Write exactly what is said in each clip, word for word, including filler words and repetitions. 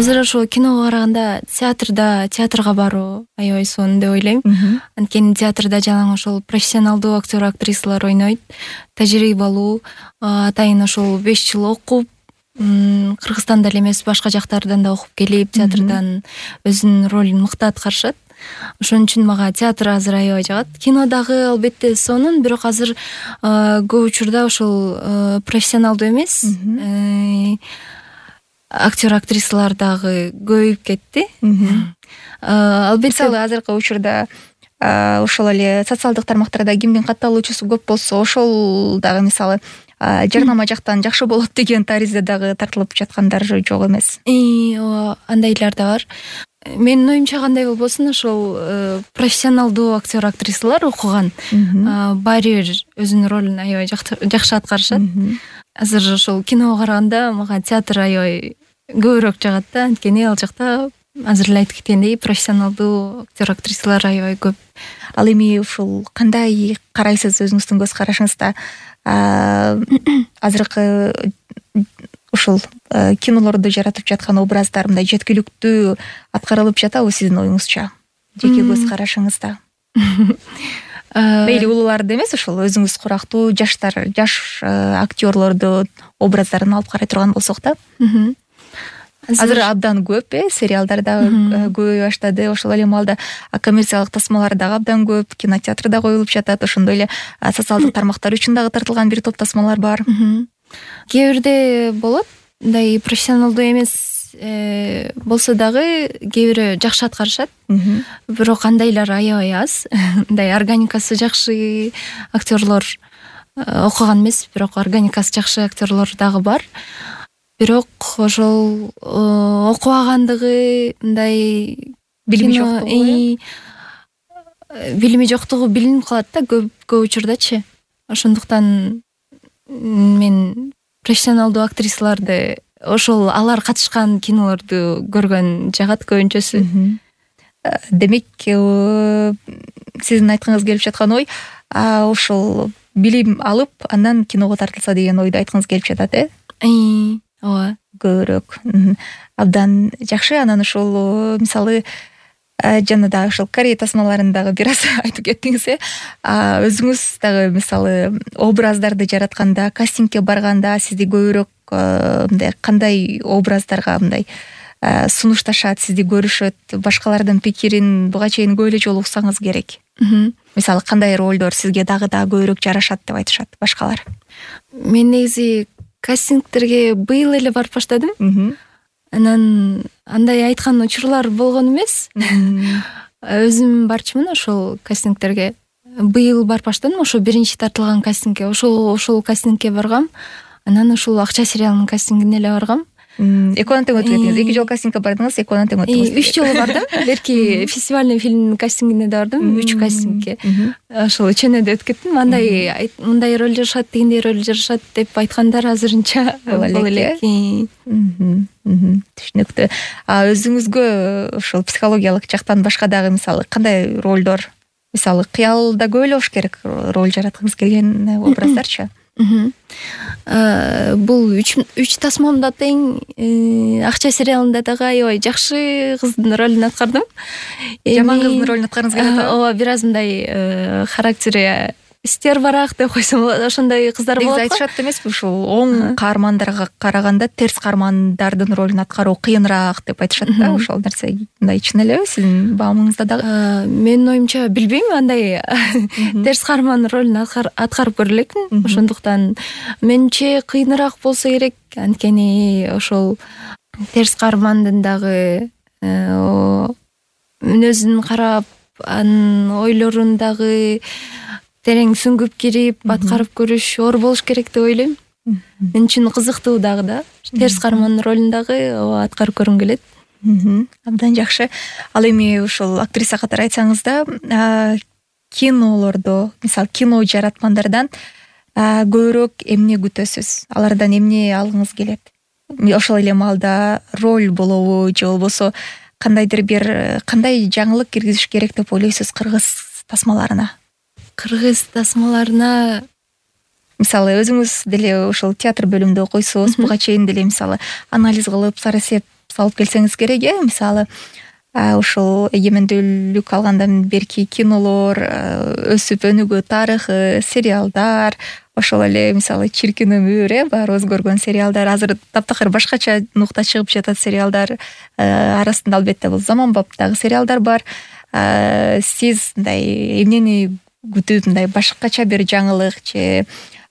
азыр ошо киного караганда театрда театрга баруу аябай сонун деп ойлойм. Анткени театрда жалаң ошол профессионалдуу актер актрисалар ойнойт, тажрыйбалуу, атайын ошол беш жыл окуп, Кыргызстанда эле эмес башка жактардан да окуп келип, театрдан өзүнүн ролун мыкты аткарышат. Ошон үчүн мага театр азыр аябай жагат. Кино дагы албетте сонун, бирок азыр көп учурда ошол профессионалдуу эмес актер актрисалар дагы көбөйүп кетти. Албетте мисалы азыркы учурда ошол эле социалдык тармактарда кимдин катталуучусу көп болсо, ошол дагы мисалы жарнама жактан жакшы болот деген таризде дагы тартылып жаткандар жок эмес. Ооба, андайлар да бар. Менин оюмча кандай болбосун, ошол профессионалдуу актер актрисалар окуган баары бир өзүнүн ролун аябай жакшы аткарышат. Азыр ошол киного караганда мага театр аябай көбүрөөк жагат да, анткени ал жакта азыр эле айтып кеткендей профессионалдуу актер актрисалар аябай көп. Ал эми ушул кандай карайсыз өзүңүздүн көз карашыңызда? Азыркы ушул кинолорду жаратып жаткан образдар мындай жеткиликтүү аткарылып жатабы сиздин оюңузча? Жеке көз карашыңызда. Мейли улууларды эмес, ушул өзүңүз курактуу жаштар, жаш актерлорду образдарын алып карай турган болсок да. Азыр абдан көп, э, сериалдар дагы көбөйө баштады. Ошол эле маалда коммерциялык тасмалар дагы абдан көп, кинотеатрда коюлуп жатат. Ошондой эле социалдык тармактар үчүн дагы тартылган бир топ тасмалар бар. Кээ бирде болот, мындай профессионалдуу эмес болсо дагы кээ бири жакшы аткарышат. Бирок андайлар аябай аз. Мындай органикасы жакшы актерлор окуган эмес, бирок органикасы жакшы актерлор дагы бар. Бирок ошол окубагандыгы, мындай билими жоктугу, билими жоктугу билинип калат да көп көп учурдачы. Ошондуктан мен профессионалдуу актрисаларды, ошол алар катышкан кинолорду көргөн жагат көбүнчөсү. Демек, сиздин айткыңыз келип жаткан ой, ошол билим алып, андан киного тартылса деген ойду айткыңыз келип жатат, э? Ооба, көбүрөөк. Абдан жакшы. Анан ошол мисалы жана дагы ошол Корея тасмаларындагы бир аз айтып кеттиңиз, э? Өзүңүз дагы мисалы образдарды жаратканда, кастингге барганда сизди көбүрөөк мындай кандай образдарга мындай сунушташат, сизди көрүшөт, башкалардын пикирин буга чейин көп эле жолу уксаңыз керек. Мисалы кандай ролдор сизге дагы да көбүрөөк жарашат деп айтышат башкалар? Мен негизи кастингтерге быйыл эле барып баштадым. Анан андай айткан учурлар болгон эмес. Өзүм барчумун ошол кастингтерге. Быйыл барып баштадым, ошо биринчи тартылган кастингге. Ошол ошол кастингге баргам. Анан ушул Акча сериалынын кастингине эле баргам. Экөөнөн тең өтүп кеттиңиз. Эки жолу кастингге бардыңыз, экөөнөн тең өттүңүз. Үч жолу бардым. Берки фестивальный фильмдин кастингине да бардым, үч кастингге. Ошол үчөөнө да өтүп кеттим. Андай мындай роль жарашат, дегендей роль жарашат деп айткандар азырынча бол элек. Түшүнүктүү. А өзүңүзгө ошол психологиялык жактан башка дагы мисалы кандай ролдор, мисалы кыялда көп эле болуш керек роль жараткыңыз келген образдарчы? Бул үч тасмамда тең Акча сериалында дагы аябай жакшы кыздын ролун аткардым. Жаман кыздын ролун аткарыңыз келет атабы? Ооба, бир аз мындай характери стервараак деп койсом болот, ошондой кыздар болот. Негизи айтышат эмеспи, ушул оң каармандарга караганда терс каармандардын ролун аткаруу кыйыныраак деп айтышат да. Ошол нерсе мындай чын элеби сиздин баамыңызда дагы? Менин оюмча билбейм, андай терс каарман ролун аткарып көрө элекмин. Ошондуктан менимче кыйыныраак болсо керек, анткени ошол терс каармандын дагы мүнөзүн карап, анын ойлорун дагы терең сүңгүп кирип аткарып көрүш оор болуш керек деп ойлойм. Мен үчүн кызыктуу дагы да. Терс каармандын ролун дагы аткарып көргүм келет. Абдан жакшы. Ал эми ушул актриса катары айтсаңыз да, кинолордо, мисалы кино жараткандардан көбүрөөк эмне күтөсүз? Алардан эмне алгыңыз келет? Ошол эле маалда роль болобу же болбосо кандайдыр бир кандай жаңылык киргизиш керек деп ойлойсуз кыргыз тасмаларына? Кыргыз тасмаларына мисалы өзүңүз деле ошол театр бөлүмүндө окуйсуз, буга чейин деле мисалы анализ кылып, сарасеп салып келсеңиз керек э мисалы ушул эгемендүүлүк алгандан берки кинолор, өсүп өнүгүү тарыхы, сериалдар, ошол эле мисалы Чиркин өмүр э баарыбыз көргөн сериалдар, азыр таптакыр башкача нукта чыгып жатат сериалдар арасында албетте бул Заманбаптагы сериалдар бар. Сиз мындай эмнени күтүп, мындай башкача бир жаңылык же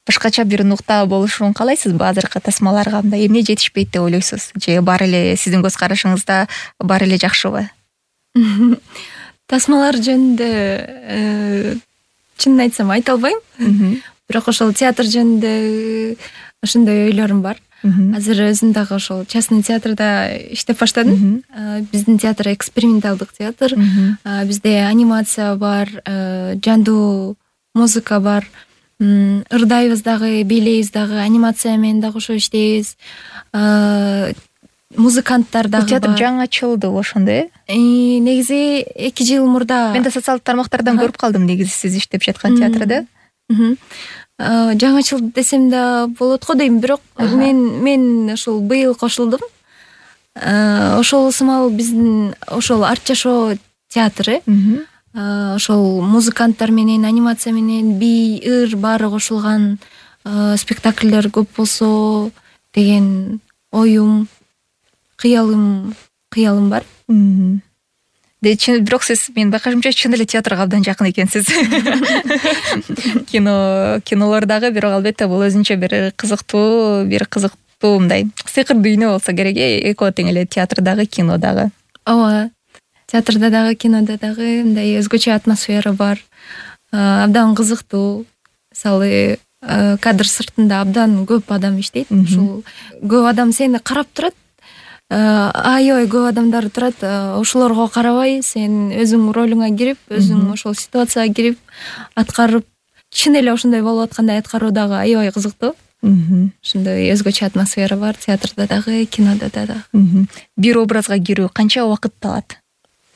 башкача бир нукта болушун каалайсызбы азыркы тасмаларга? Мындай эмне жетишпейт деп ойлойсуз же баары эле сиздин көз карашыңызда баары эле жакшыбы? Тасмалар жөнүндө чынын айтсам айта албайм. Бирок ошол театр жөнүндө ошондой ойлорум бар. Азыр өзүм дагы ошол частный театрда иштеп баштадым. Биздин театр эксперименталдык театр. Бизде анимация бар, жандуу музыка бар. Ырдайбыз дагы, бийлейбиз дагы, анимация менен дагы ошо иштейбиз. Музыканттар дагы бар. Театр жаңы ачылды ошондо э? Негизи эки жыл мурда. Мен да социалдык тармактардан көрүп калдым негизи сиз иштеп жаткан театрда. Жаңы ачылды десем да болот го дейм, бирок мен мен ошол быйыл кошулдум. Ошол сымал биздин ошол арт жашоо театры. Ошол музыканттар менен, анимация менен, бий, ыр баары кошулган спектакльдер көп болсо деген оюм, кыялым, кыялым бар. Бирок сиз менин байкашымча чын эле театрга абдан жакын экенсиз. Кино, кинолор дагы, бирок албетте бул өзүнчө бир кызыктуу, бир кызыктуу мындай сыйкыр дүйнө болсо керек э, экөө тең эле театр дагы, кино дагы. Ооба. Театрда дагы, кинода дагы мындай өзгөчө атмосфера бар. Абдан кызыктуу. Мисалы, кадр сыртында абдан көп адам иштейт. Ушул көп адам сени карап турат. Аябай көп адамдар турат. Ошолорго карабай, сен өзүң ролуңа кирип, өзүң ошол ситуацияга кирип, аткарып, чын эле ошондой болуп аткандай аткаруу дагы аябай кызыктуу. Ошондой өзгөчө атмосфера бар театрда дагы, кинода дагы. Бир образга кирүү канча убакытты алат?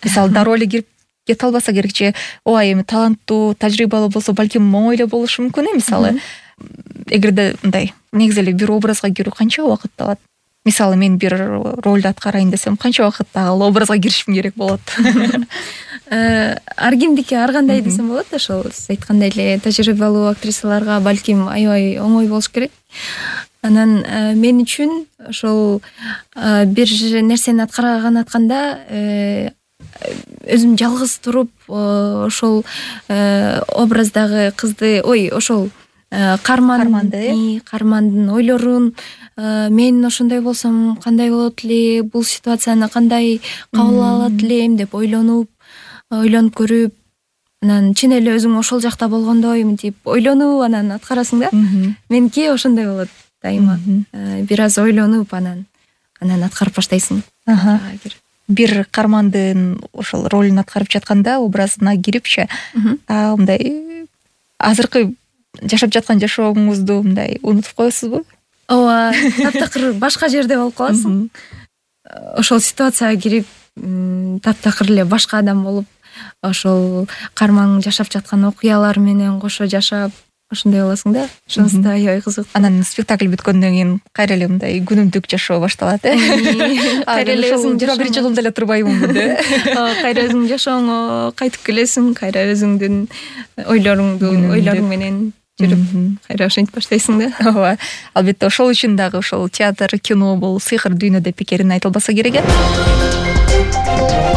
Мисалы, дароо эле кирип кете албаса керек же, ооба эми таланттуу, тажрыйбалуу болсо балким оңой эле болушу мүмкүн э, мисалы. Эгерде мындай, негизи эле бир образга кирүү канча убакытты алат? Мисалы, мен бир ролду аткарайын десем, канча убакытта ал образга киришим керек болот? Ар кимдики ар кандай десем болот. Ошол сиз айткандай эле тажрыйбалуу актрисаларга балким аябай оңой болуш керек. Анан мен үчүн ошол бир нерсени аткарган атканда өзүм жалгыз туруп ошол образдагы кызды, ой, ошол карманды, кармандын ойлорун, мен ошондой болсом кандай болот эле, бул ситуацияны кандай кабыл алат элем деп ойлонуп, ойлонуп көрүп, анан чын эле өзүң ошол жакта болгондой мынтип ойлонуп анан аткарасың да. Меники ошондой болот дайыма. Бир аз ойлонуп анан анан аткарып баштайсың. Бир кармандын ошол ролун аткарып жатканда, образына кирипчи, мындай азыркы жашап жаткан жашооңузду мындай унутуп коесузбу? Ооба, таптакыр башка жерде болуп каласың. Ошол ситуацияга кирип, таптакыр эле башка адам болуп, ошол кармаң жашап жаткан окуялар менен кошо жашап, ошондой болосуң да. Ошонусу да аябай кызык. Анан спектакль бүткөндөн кийин кайра эле мындай күнүмдүк жашоо башталат э. Кайра эле өзүң жыйырма биринчи кылымда эле турбаймынбы де. Кайра өзүң жашооңо кайтып келесиң, кайра өзүңдүн ойлоруңду, ойлоруң менен жүрүп, кайра ошентип баштайсың да. Ооба. Албетте ошол үчүн дагы ошол театр, кино бул сыйкыр дүйнө деп пикерин айтылбаса керек э.